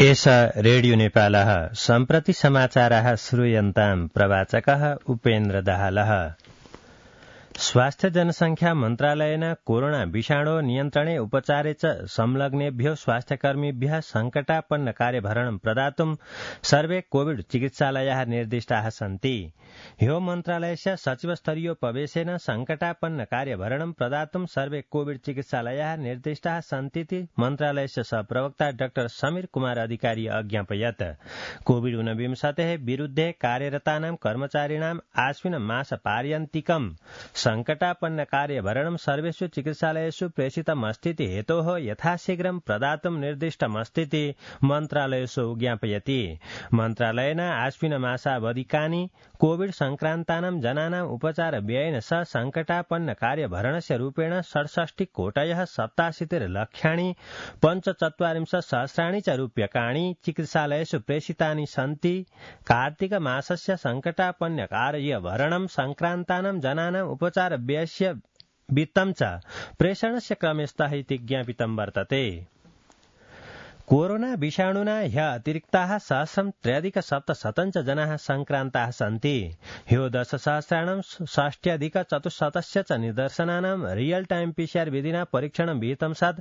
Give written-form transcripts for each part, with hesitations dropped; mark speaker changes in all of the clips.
Speaker 1: एष रेडियो नेपालः सम्प्रति समाचारः श्रूयन्ताम् प्रवाचकः उपेन्द्र दाहालः। स्वास्थ्य जनसंख्या मन्त्रालयेन कोरोना विषाणो नियन्त्रणे उपचारे च संलग्नेभ्यो स्वास्थ्यकर्मिभ्यः संकटापन्न कार्यभरणं प्रदातुं सर्वे कोविड चिकित्सालयाः निर्दिष्टाः सन्ति। ह्यो मन्त्रालयस्य सचिवस्तरीयोपवेशेन संकटापन्न कार्यभरणं प्रदातुं सर्वे कोविड चिकित्सालयाः निर्दिष्टाः सन्तीति मन्त्रालयस्य सहप्रवक्ता डाक्टर समीर कुमार अधिकारी अज्ञापयत्। कोविड-19 विरुद्धे कार्यरतानां कर्मचारिणाम् आश्विन मासपर्यन्तिकं संकटापन्न कार्यभरणं सर्वेषु चिकित्सालयेषु प्रेषितमस्तीति हेतोः यथाशीघ्रं प्रदातुं निर्दिष्टमस्तीति मन्त्रालयेषु ज्ञापयति। मन्त्रालयेन आश्विन मासावधिकानि कोविड संक्रान्तानां जनानां उपचार व्ययेन सह संकटापन्न कार्यभरणस्य रूपेण 67 कोटयः 87 लक्षाणि 45 सहस्राणि च रूप्यकाणि चिकित्सालयेषु प्रेषितानि सन्ति। कार्तिक मासस्य संकटापन्न कार्यभरणं संक्रान्तानां जनानां उपचार व्ययस्य वित्तं च प्रेषणस्य क्रमे स्तः इति ज्ञापितं वर्तते। कोरोना विषाणुना ह्यः अतिरिक्ताः 1,003,700 च जनाः संक्रान्ताः सन्ति। ह्यो 10,000 षष्ट्यधिक-400 च निदर्शनानां रियल टाइम पीसीआर विधिना परीक्षणं विहितं सत्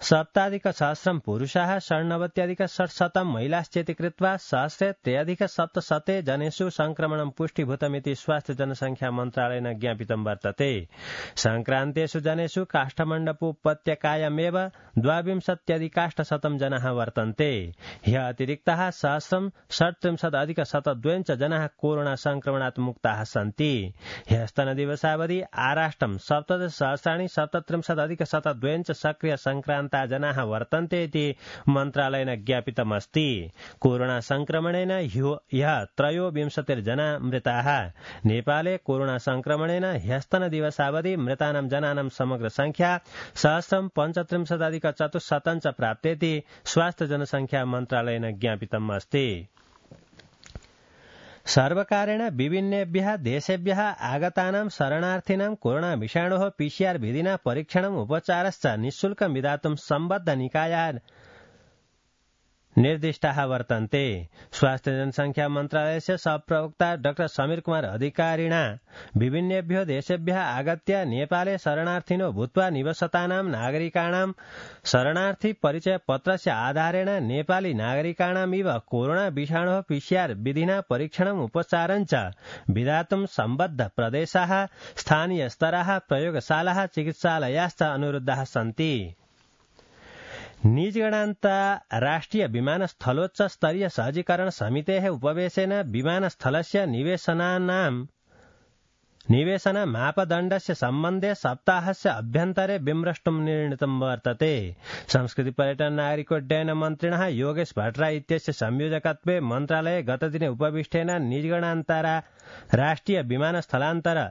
Speaker 1: 7,000 पुरुषाः 99,600 महिलाश्चेति कृत्वा 1,003,700 जनेषु संक्रमणं पुष्टिभूतमिति स्वास्थ्य जनसंख्या मन्त्रालयेन ज्ञापितं वर्तते। संक्रान्तेषु जनेषु काष्ठमण्डपोपत्यकायामेव 22,800 जनाः वर्तन्ते। ह्यः अतिरिक्ताः 1,037,102 च जनाः कोरोना संक्रमणात् मुक्ताः सन्ति। ह्यस्तनदिवसावधि आराष्ट्रं 17,037,102 च सक्रिय संक्रान्त जनाः वर्तन्ते इति मन्त्रालयेन ज्ञापितमस्ति। कोरोना संक्रमणेन ह्यः 23 जना मृताः। नेपाले कोरोना संक्रमणेन ह्यस्तन दिवसावधि मृतानां जनानां समग्र संख्या 1,035,400 च प्राप्तेति स्वास्थ्य जनसंख्या मन्त्रालयेन ज्ञापितम् अस्ति। सर्वकारेण विभिन्नेभ्यः देशेभ्यः आगतानां शरणार्थिनां कोरोना विषाणोः पीसीआर विधिना परीक्षणम् उपचारश्च निःशुल्कं विधातुं सम्बद्ध निकायाः निर्दिष्टाः वर्तन्ते। स्वास्थ्य जनसंख्या मन्त्रालयस्य सहप्रवक्ता डाक्टर समीर कुमार अधिकारिणा विभिन्नेभ्यो देशेभ्यः आगत्य नेपाले शरणार्थिनो भूत्वा निवसतानां नागरिकाणां शरणार्थी परिचय पत्रस्य आधारेण नेपाली नागरिकाणामिव कोरोना विषाणोः पीसीआर विधिना परीक्षणम् उपचारञ्च विधातुं सम्बद्ध प्रदेशाः स्थानीयस्तराः प्रयोगशालाः चिकित्सालयाश्च अनुरुद्धाः सन्ति। निजगणान्तराष्ट्रिय विमानस्थलोच्च स्तरीय सहजीकरण समितेः उपवेशेन विमानस्थलस्य निवेशन मापदण्डस्य सम्बन्धे सप्ताहस्य अभ्यन्तरे विमृष्टुं निर्णीतं वर्तते। संस्कृति पर्यटन नागरिकोड्डयन मन्त्रिणः योगेश भट्टराई इत्यस्य संयोजकत्वे मन्त्रालये गतदिने उपविष्टेन निजगणान्तराष्ट्रिय विमानस्थलान्तर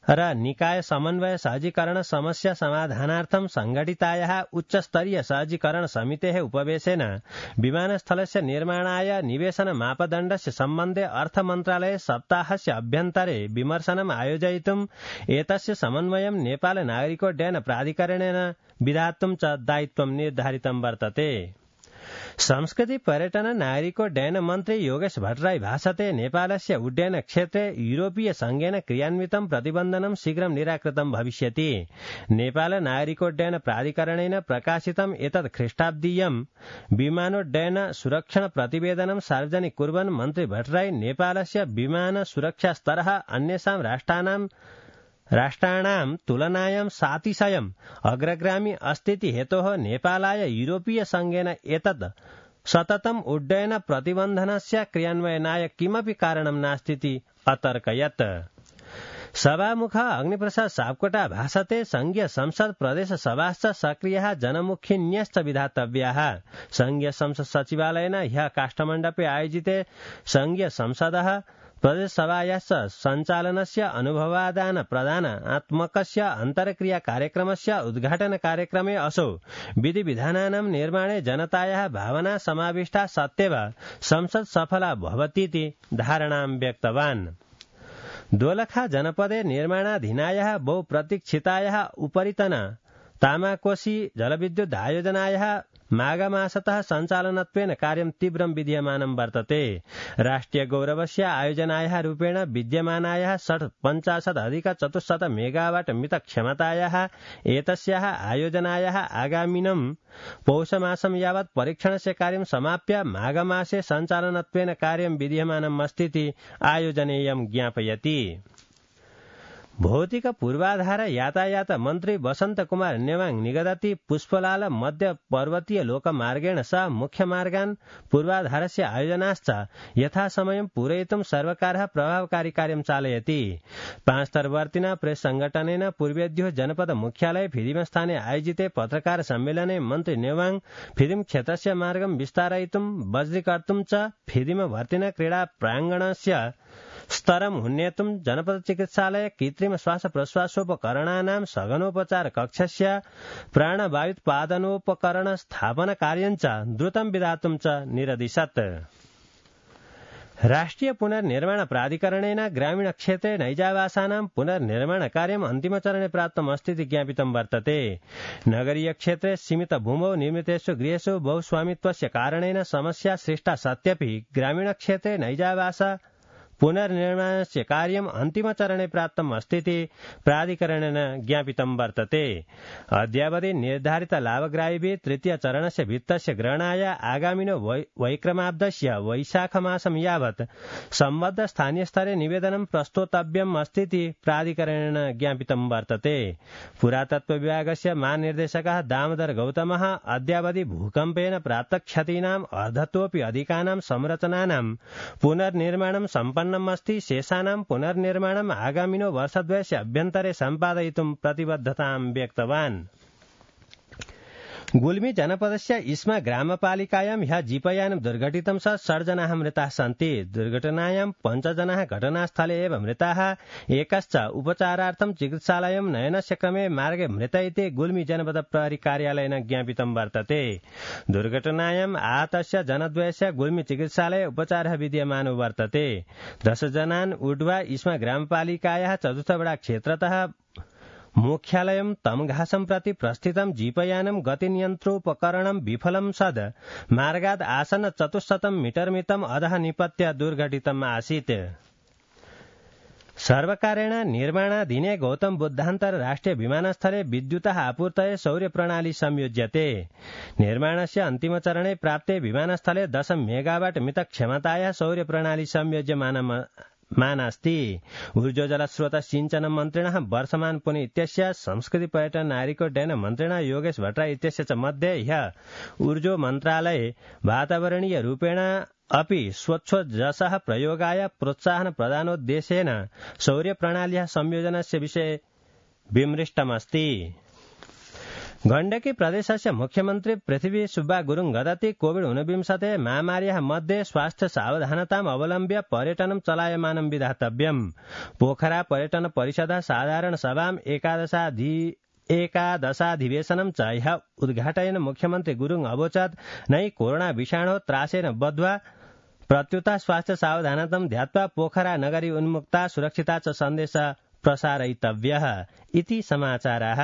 Speaker 1: र निकाय समन्वय सहजीकरण समस्या समाधानार्थं संघटितायाः उच्चस्तरीय सहजीकरण समितेः उपवेशेन विमानस्थलस्य निर्माणाय निवेशन मापदण्डस्य सम्बन्धे अर्थमन्त्रालये सप्ताहस्य अभ्यन्तरे विमर्शनम् आयोजयितुम् एतस्य समन्वयं नेपाल नागरिकोड्डयन प्राधिकरणेन विधातुं च दायित्वं निर्धारितं वर्तते। संस्कृति पर्यटन नागरिकोड्डयन मन्त्री योगेश भट्टराई भाषते नेपालस्य उड्डयन क्षेत्रे यूरोपीय संघेन क्रियान्वितं प्रतिबन्धनं शीघ्रं निराकृतं भविष्यति। नेपाल नागरिकोड्डयन प्राधिकरणेन प्रकाशितम् एतत् ख्रीष्टाब्दीयं विमानोड्डयन सुरक्षण प्रतिवेदनं सार्वजनिक कुर्वन् मन्त्री भट्टराई नेपालस्य विमान सुरक्षा स्तरः अन्येषां राष्ट्राणां तुलनायां सातिशयम् अग्रगामी अस्तीति हेतोः नेपालाय यूरोपीय संघेन एतत् सततम् उड्डयन प्रतिबन्धनस्य क्रियान्वयनाय किमपि कारणं नास्तीति अतर्कयत्। सभामुख अग्निप्रसाद सापकोटा भाषते संघीय संसद प्रदेश सभाश्च सक्रियः जनमुखिन्यश्च विधातव्याः। संघीय संसद सचिवालयेन ह्यः काष्ठमण्डपे आयोजिते संघीय संसदः प्रदेशसभायाश्च सञ्चालनस्य अनुभवादान प्रदानात्मकस्य अन्तर्क्रिया कार्यक्रमस्य उद्घाटन कार्यक्रमे असौ विधिविधानानां निर्माणे जनतायाः भावना समाविष्टा सत्येव संसद सफला भवतीति धारणां व्यक्तवान्। दोलखा जनपदे निर्माणाधीनायाः बहुप्रतीक्षितायाः उपरितन तामाकोशी जलविद्युत् आयोजनायाः माघमासतः सञ्चालनत्वेन कार्यं तीव्रं विधीयमानं वर्तते। राष्ट्रियगौरवस्य आयोजनायाः रूपेण विद्यमानायाः 50 मेगावाट् मितक्षमतायाः एतस्याः आयोजनायाः आगामिनं पौषमासं यावत् परीक्षणस्य कार्यं समाप्य माघमासे सञ्चालनत्वेन कार्यं विधीयमानमस्तीति आयोजनेयं ज्ञापयति। भौतिक पूर्वाधार यातायात मन्त्री वसंत कुमार नेवाङ निगदति पुष्पलाल मध्य पर्वतीय लोकमार्गेण सह मुख्यमार्गान् पूर्वाधारस्य आयोजनाश्च यथासमयं पूरयितुं सर्वकारः प्रभावकारी कार्यं चालयति। पांचतर्वर्तिना प्रेस संघटनेन पूर्वेद्यो जनपद मुख्यालय फिदिमस्थाने आयोजिते पत्रकार सम्मेलने मन्त्री नेवाङ फिदिम क्षेत्रस्य मार्गं विस्तारयितुं बज्रीकर्तुं च फिदिमवर्तिना क्रीडा प्राङ्गणस्य स्तरम् उन्नेतुं जनपद चिकित्सालय कृत्रिम श्वास प्रश्वासोपकरणानां सघनोपचार कक्षस्य प्राणवायुत्पादनोपकरण स्थापन कार्यं च द्रुतं विधातुं च निरदिशत्। राष्ट्रिय पुनर्निर्माण प्राधिकरणेन ग्रामीण क्षेत्रे नैजावासानां पुनर्निर्माण कार्यम् अन्तिमचरणे प्राप्तमस्तीति ज्ञापितं वर्तते। नगरीय क्षेत्रे सीमित भूमौ निर्मितेषु गृहेषु बहुस्वामित्वस्य कारणेन समस्या सृष्टा सत्यपि ग्रामीण क्षेत्रे नैजावास पुनर्निर्माणस्य कार्यम् अन्तिमचरणे प्राप्तम् अस्तीति प्राधिकरणेन ज्ञापितं वर्तते। अद्यावधि निर्धारित लाभग्राहिभिः तृतीय चरणस्य वित्तस्य ग्रहणाय आगामिनो वैक्रमाब्दस्य वैशाखमासं यावत् सम्बद्ध स्थानीयस्तरे निवेदनं प्रस्तोतव्यम् अस्तीति प्राधिकरणेन ज्ञापितं वर्तते। पुरातत्व विभागस्य महानिर्देशकः दामोदर गौतमः अद्यावधि भूकम्पेन प्राप्तक्षतीनाम् अर्धतोऽपि अधिकानां संरचनानां पुनर्निर्माणं सम्पन्नम् अस्ति। शेषाणां पुनर्निर्माणम् आगामिनो वर्षद्वयस्य अभ्यन्तरे सम्पादयितुं प्रतिबद्धतां व्यक्तवान्। गुल्मी जनपदस्य इस्मा ग्रामपालिकायां ह्यः जीपयानं दुर्घटितं स 6 जनाः मृताः सन्ति। दुर्घटनायां 5 जनाः घटनास्थले एव मृताः, एकश्च उपचारार्थं चिकित्सालयं नयनस्य क्रमे मार्गे मृत इति गुल्मी जनपद प्रहरी कार्यालयेन ज्ञापितं वर्तते। दुर्घटनायाम् आहतस्य जनद्वयस्य गुल्मी चिकित्सालये उपचारः विद्यमानो वर्तते। 10 जनान् उड्वा इस्मा ग्रामपालिकायाः चतुर्थवडा क्षेत्रतः मुख्यालयं तमघासं प्रति प्रस्थितं जीपयानं गतिनियन्त्रोपकरणं विफलं सद् मार्गाद् आसन्न 400 मीटर मितम् अधः निपत्य दुर्घटितम् आसीत्। सर्वकारेण निर्माणाधीने गौतम बुद्धान्तर राष्ट्रिय विमानस्थले विद्युतः आपूर्तये सौर्यप्रणाली संयोज्यते। निर्माणस्य अन्तिमचरणे प्राप्ते विमानस्थले 10 मेगावाट् मितक्षमतायाः सौर्यप्रणाली संयोज्यमानास्ति। ऊर्जोजलस्रोत सिंचन मन्त्रिणः वर्षमान पुनि इत्यस्य संस्कृति पर्यटन नागरिकोड्डयन मन्त्रिणः योगेश भट्टराई इत्यस्य च मध्ये ह्यः ऊर्जो मन्त्रालये वातावरणीय रूपेण अपि स्वच्छोजसः प्रयोगाय प्रोत्साहन प्रदानोद्देशेन सौर्यप्रणाल्याः संयोजनस्य विषये विमृष्टमस्ति। गण्डकी प्रदेशस्य मुख्यमन्त्री पृथ्वी सुब्बा गुरुङ गदति कोविड-19 महामार्याः मध्ये स्वास्थ्य सावधानताम् अवलम्ब्य पर्यटनं चलायमानं विधातव्यम्। पोखरा पर्यटन परिषदः साधारण सभाम् एकादशाधिवेशनं च ह्यः उद्घाटयन् मुख्यमन्त्री गुरुङ अवोचत् नै कोरोना विषाणो त्रासेन बद्ध्वा प्रत्युता स्वास्थ्य सावधानतां ध्यात्वा पोखरा नगरी उन्मुक्ता सुरक्षिता च सन्देशः प्रसारयितव्यः इति समाचाराः।